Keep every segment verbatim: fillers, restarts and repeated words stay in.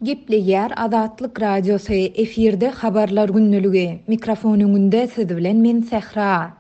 Gepleýär Azatlyk Radiosy, efirde Habarlar gündeligi. Mikrofon öňünde siz bilen men Sähra.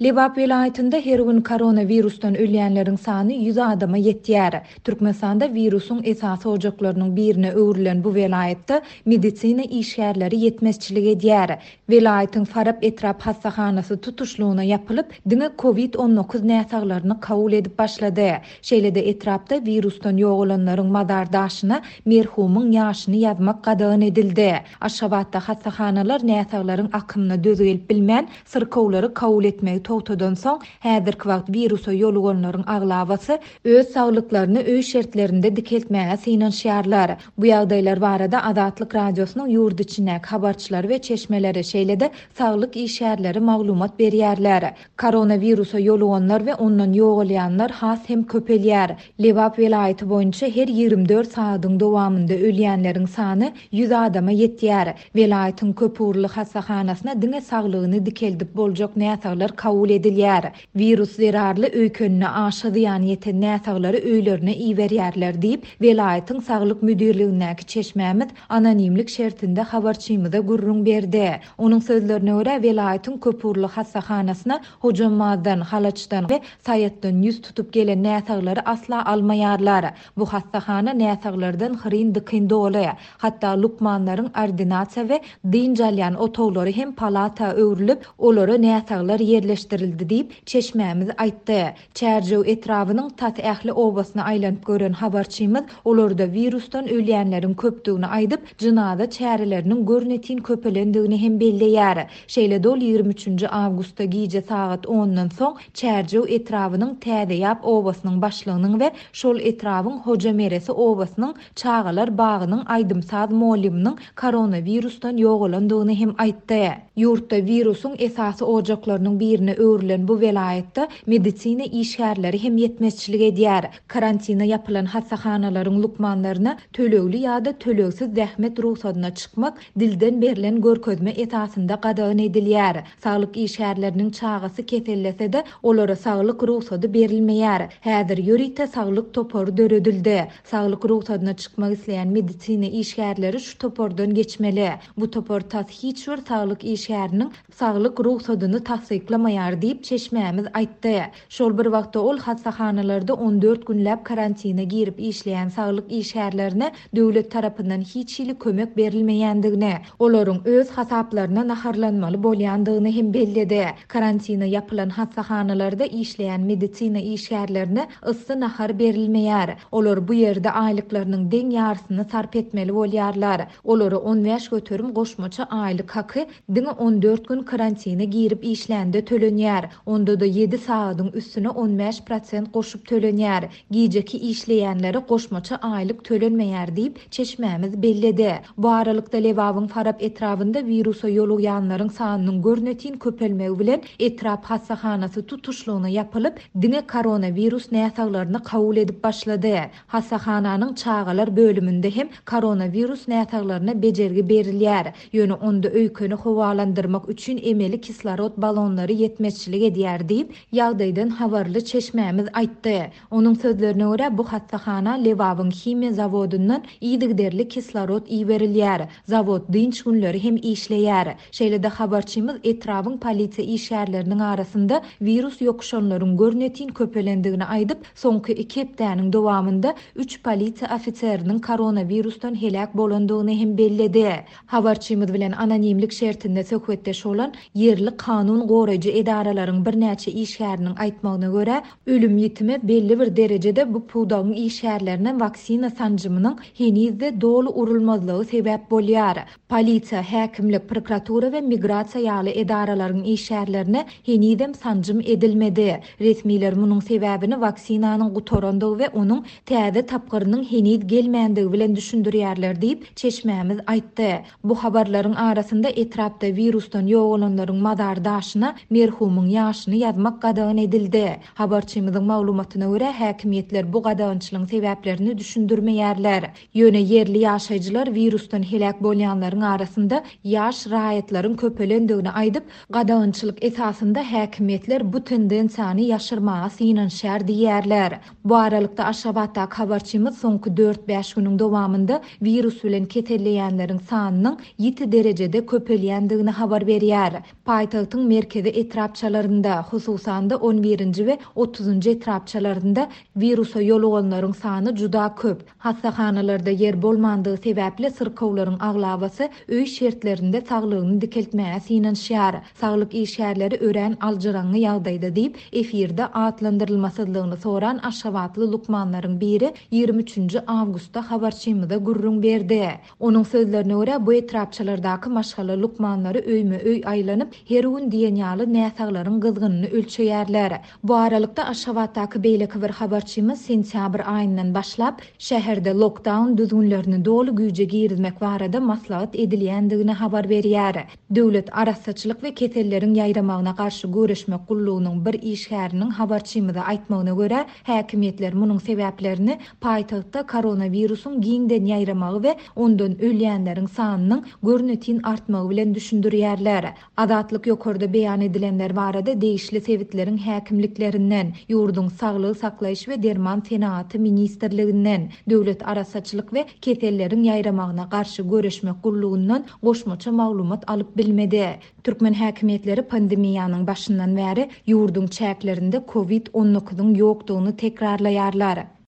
Lebap welaýatynda her gün koronawirusdan ölýänleriň sany ýüz adama ýetýär. Türkmenistanda wirusyň esasy ojaklarynyň birine öwrülen bu welaýatda medisina işgärleri ýetmezçilik edýär. Welaýatyň Farap etrap hassahanasy tutuşlygyna ýapylyp, diňe COVID on dokuz näsaglaryny kabul edip başlady. Şeýle-de etrapda wirusdan ýogalanlaryň mazar daşyna merhumyň ýaşyny ýazmak gadagan edildi. Aşgabatda hassahanalar näsaglaryň akymyna döz gelip bilmän, syrkawlary kabul etmegi togtadan soň, häzirki wagt wirusa ýoluganlaryň aglabasy öz saglyklaryny öý şertlerinde dikeltmäge synanyşýarlar. Bu ýagdaýlar barada Azatlyk Radiosynyň ýurt içindäki habarçylary we çeşmeleri, şeýle-de saglyk işgärleri maglumat berýärler. Koronawirusa ýoluganlar we ondan ýogalýanlar has hem köpelýär. Lebap welaýaty boýunça her ýigrimi dört sagadyň dowamynda ölýänleriň sany ýüz adama ýetýär. Welaýatyň köpugurly hassahanasyna diňe saglygyny dikeldip boljak näsaglar kabul edilýär. Wirus zerarly öýkenine aşa zyýan ýeten näsaglary öýlerine iberýärler diýip, welaýatyň saglyk müdirligindäki çeşmämiz anonimlik şertinde habarçymyza gürrüň berdi. Onuň sözlerine görä welaýatyň köpugurly hassahanasyna Hojambazdan, Halaçdan we Saýatdan ýüz tutup gelen näsaglary asla almaýarlar. Bu hassahana näsaglardan hyryn dykyn doly. Hatda lukmanlaryň ordinasiýa we dynç alýan otaglary hem palata öwrülip, olara näsaglar ýerleşdirildi diýip, çeşmämiz aýtdy. Çärjew etrabynyň tas ähli obasyna aýlanyp gören habarçymyz olarda wirusdan ölýänleriň köpdügini aýdyp, jynaza çäreleriniň görnetin köpelendigini hem belleýär. Şeýle dol ýigrimi üçünji awgustda gije sagat ondan soň Çärjew etrabynyň Täzeýap obasynyň başlygynyň we şol etrabyň Hoja Meresi obasynyň çagalar bagynyň aýdym-saz molymynyň koronawirusdan ýogalandygyny hem aýtdy. Ýurtda wirusyň esasy ojaklarynyň birine öwrülen bu welaýatda medisina işgärleri hem ýetmezçilik edýär. Karantina ýapylan hassahanalaryň lukmanlaryna tölegli ýa-da tölegsiz zähmet rugsadyna çykmak dilden berlen görkezme esasynda gadagan edilýär. Saglyk işgärleriniň çagasy kesellese-de olara saglyk rugsady berilmeýär. Häzir ýörite saglyk topary döredildi. Saglyk rugsadyna çykmak isleýän medisina işgärleri şu topardan geçmeli. Bu topar tas hiç bir saglyk işgäriniň saglyk rugsadyny tassyklamaýar diýip çeşmämiz aýtdy. Şol bir wagtda ol hassahanalarda on dört günläp karantina girip işleýän saglyk işgärlerine döwlet tarapyndan hiç hili kömek berilmeýändigini, olaryň öz hasaplaryna naharlanmaly bolýandygyny hem belledi. Karantina ýapylan hassahanalarda işleýän medisina işgärlerine yssy nahar berilmeýär. Olar bu ýerde aýlyklarynyň deň ýarysyny sarp etmeli bolýarlar. Olara on bäş göterim goşmaça aýlyk haky diňe on dört gün karantina girip işlände tölenýär. Onda da ýedi sagadyň üstüne on bäş prosent goşup tölenýär. Gijeki işleýänlere goşmaça aýlyk tölenmeýär diýip çeşmämiz belledi. Bu aralykda Lebabyň Farap etrabynda wirusa ýolugýanlaryň sanynyň görnetin köpelmegi bilen etrap hassahanasy tutuşlygyna ýapylyp, diňe koronawirus näsaglaryny kabul edip başlady. Hassahananyň çagalar bölüminde hem koronawirus näsaglaryna bejergi berilýär. Ýöne onda öýkeni howalandyrmak üçin emeli kislorod balonlary ýetmezçilik edýär diýip, ýagdaýdan habarly çeşmämiz aýtdy. Onuň sözlerine görä bu hassahana Lebabyň himiýa zawodyndan yzygiderli kislorod iberilýär. Zawod dynç günleri hem işleýär. Şeýle-de habarçymyz etrabyň polisiýa işgärleriniň arasynda wirus ýokuşanlaryň görnetin köpelendigini aýdyp, soňky iki hepdäniň dowamynda üç polisiýa ofiseriniň koronawirusdan heläk bolandygyny hem belledi. Habarçymyz bilen anonimlik şertinde söhbetdeş bolan ýerli kanun goraýjy edaralaryň birnäçe işgäriniň aýtmagyna görä, ölüm ýitimi belli bir derejede bu pudagyň işgärlerine waksina sanjymynyň henizde doly urulmazlygy sebäp bolýar. Polisiýa, häkimlik, prokuratura we migrasiýa ýaly edaralaryň işgärlerine henizem sanjym edilmedi. Resmiler munuň sebäbini waksinanyň gutarandygy we onuň täze tapgyrynyň heniz gelmändigi bilen düşündirýärler diýip çeşmämiz aýtdy. Bu habarlaryň arasynda etrapda wirusdan ýogalanlaryň mazar daşyna merhumyň merhumyň ýaşyny ýazmak gadagan edildi. Habarçymyzyň maglumatyna görä, häkimiýetler bu gadagançylygyň sebäplerini düşündirmeýärler. Ýöne ýerli ýaşaýjylar wirusdan heläk bolýanlaryň arasynda ýaş raýatlaryň köpelendigini aýdyp, gadagançylyk esasynda häkimiýetler bu tendensiýany ýaşyrmaga synanyşýar diýýärler. Bu aralykda Aşgabatdaky habarçymyz soňky dört-bäş günüň dowamynda wirus bilen keselleýänleriň sanynyň ýiti derejede köpelýändigini habar berýär. Paýtagtyň merkezi etrapçalarynda, hususan-da on birinji we otuzynjy etrapçalarynda wirusa ýoluganlaryň sany juda köp. Hassahanalarda ýer bolmandygy sebäpli syrkawlaryň aglabasy öý şertlerinde saglygyny dikeltmäge synanyşýar. Saglyk işgärleri örän aljyraňňy ýagdaýda diýip, efirde atlandyrylmasyzlygyny soran Aşgabatly lukmanlaryň biri ýigrimi üçünji awgustda habarçymyza gürrüň berdi. Onuň sözlerine görä, bu etrapçalardaky maşgala lukmanlary öýme-öý aýlanyp, her gün diýen ýaly näsaglaryň gyzgynyny ölçeýärler. Bu aralykda Aşgabatdaky beýleki bir habarçymyz sentýabr aýyndan başlap, şäherde lockdown düzgünlerini doly güýje girizmek barada maslahat edilýändigini habar berýär. Döwlet arassaçylyk we keselleriň ýaýramagyna garşy göreşmek gullugynyň bir işgäriniň habarçymyza aýtmagyna görä, häkimiýetler munuň sebäplerini paýtagtda koronawirusyň giňden ýaýramagy we ondan ölýänleriň sanynyň görnetin artmagy bilen düşündirýärler. Azatlyk ýokarda beýan edilenler barada degişli sebitleriň häkimliklerinden, ýurduň saglygy saklaýyş we derman senagaty ministrliginden, döwlet arassaçylyk we keselleriň ýaýramagyna garşy göreşmek gullugyndan goşmaça maglumat alyp bilmedi. Türkmen häkimiýetleri pandemiýanyň başyndan bäri ýurduň çäklerinde kovid on dokuzyň ýokdugyny tekrarlaýarlar.